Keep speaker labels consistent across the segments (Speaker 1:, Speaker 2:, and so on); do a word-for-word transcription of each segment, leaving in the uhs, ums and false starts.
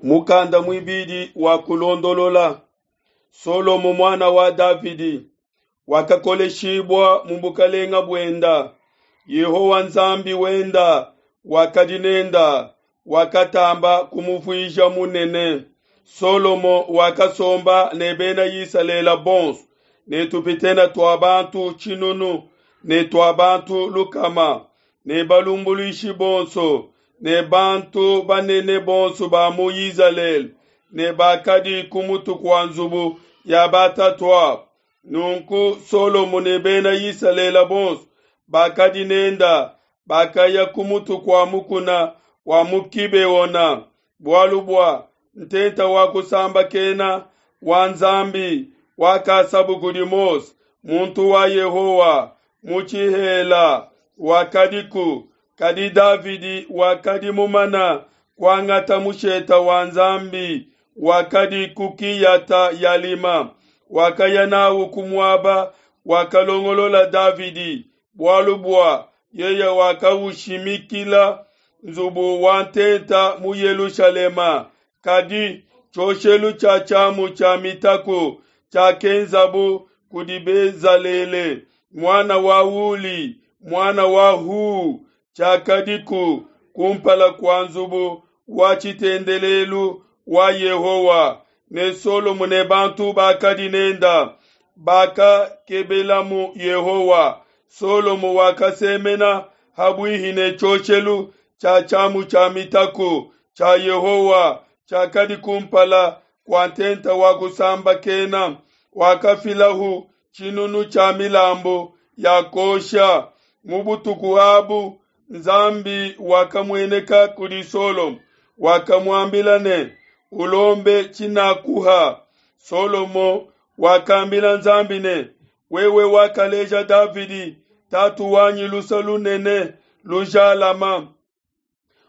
Speaker 1: Mukanda muibidi wa kulondolola. Solomo muana wa Davidi wakakoleshibua mu bukalenga buenda. Yehowa Nzambi wenda wakadi nenda, wakatamba kumuvuija munene. Solomo wakasomba ne bena Isalele bonso ne tupitene tua bantu tshinunu ne tua bantu lukama ne balumbuluishi bonso ne bantu banene bonso ba mu Izalele ne bakadi ku mutu kua nzubu ya batatuabo. Nunku Solomo ne bena Isalele bonso bakadi nenda bakaya ku mutu kua mukuna wa mu Gibeona, bualu bua ntenta wa kusambakena wa Nzambi wakasabu kudi Mose muntu wa Yehowa mu tshihela wakadiku. Kadi Davidi wakadi mumana kuangata musheta wa Nzambi wakadi ku Kiyata Yalima, wakaya nawu ku muaba wakalongolola Davidi, bualu bua yeye wakaushimikila nzubu wa ntenta mu Yelushalema. Kadi tshioshelu tshia tshiamu tshia mitaku tshiakenzabu kudi Bezalele muana wa Uli muana wa Hu tshiakadiku kumpala kua nzubu wa tshitendelelu wa Yehowa, ne Solomo ne bantu bakadi nenda bakakebelamu Yehowa. Solomo wakasemena ha buihi ne tshioshelu tshia tshiamu tshia mitaku tshia Yehowa tshiakadi kumpala kua ntenta wa kusambakena, wakafilahu tshinunu tshia milambu ya kuosha. Mu butuku abu Nzambi wakamueneka kudi Solomo, wakamuambila ne, ulombe tshinakuha. Solomo wakambila Nzambi ne, wewe wakaleja Davidi tatu wanyi luse lunene lujalama,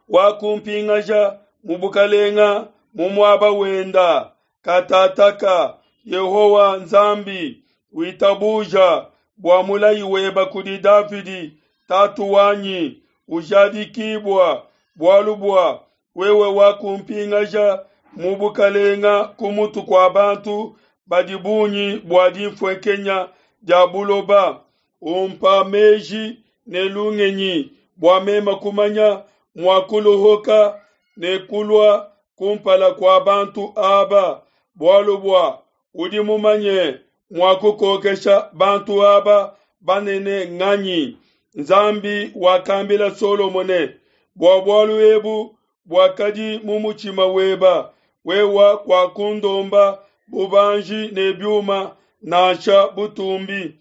Speaker 1: wakumpingaja mu bukalenga mu muaba wenda. Katataka Yehowa Nzambi witabuja bua mulayi weba kudi Davidi tatu wanyi ujadikibua, bualu bua wewe wakumpingaja mu bukalenga ku mutu kua bantu badi bungi bua dinfuenkenya dia buloba. Umpa meji ne lungenyi bua mema kumanya mua kuluhuka ne kulua kumpala kua bantu aba, bualu bua udi mumanye mua kukokesha bantu aba banene nganyi? Nzambi wakambila Solomo ne, bua bualu ebu buakadi mu mutshima weba, wewe kuakundomba bubanji ne biuma nansha butumbi,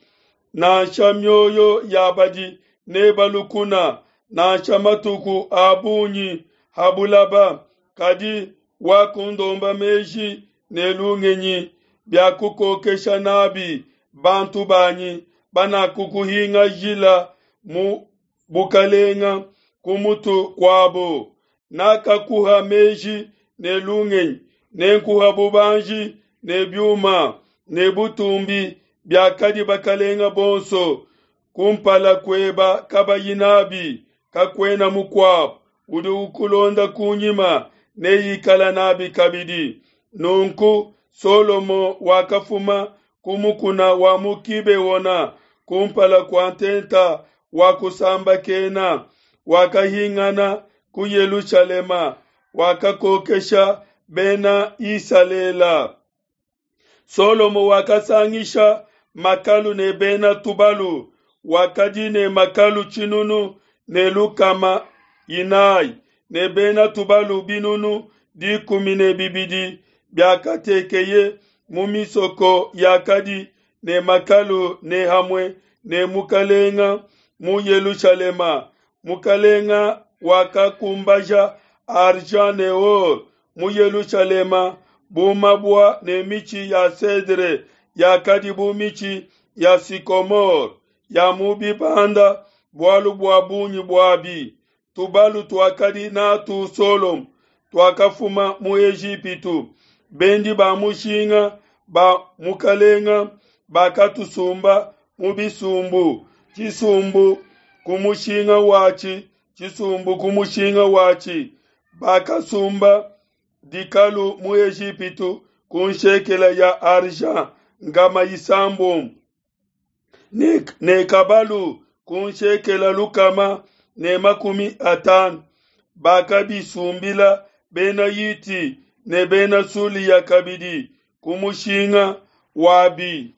Speaker 1: nansha mioyo ya badi neba lukuna, nansha matuku a bungi ha bulaba, kadi wakundomba meji ne lungenyi bia kukokesha nabi bantu banyi banakukuhingajila mu bukalenga ku mutu kuabo. Nakakuha meji ne lungenyi, nenkuha bubanji ne biuma ne butumbi biakadi bakalenga bonso kumpala kueba kabayi nabi. Kakuena mukuabo udi ukulonda kunyima neikala nabi kabidi. Nunku Solomo wakafuma ku mukuna wa mu Gibeona kumpala kua ntenta wa kusambakena, wakahingana ku Yelushalema, wakakokesha bena Isalele. Solomo wakasangisha makalu ne bena tubalu, wakadi ne makalu tshinunu ne lukama inayi ne bena tubalu binunu dikumi ne bibidi biakatekeye mu misoko yakadi ne makalu ne hamue ne mukalenga mu Yelushalema. Mukalenga wakakumbaja argent ne or mu Yelushalema bu mabua ne mitshi ya cedre yakadi bu mitshi ya sycomore ya mu bibanda bualu bua bungi buabi. Tubalu tuakadi natu Solomo tuakafuma mu Ejipitu. Bendi ba mushinga ba mukalenga bakatusumba mu bisumbu, tshisumbu ku mushinga watshi, tshisumbu ku mushinga watshi. Bakasumba dikalu mu Ejipitu ku nshekela ya argent nkama isambombo ne, ne kabalu ku nshekela lukama ne makumi atanu. Bakabisumbila bena Hiti ne bena Sulia kabidi ku mushinga wabi.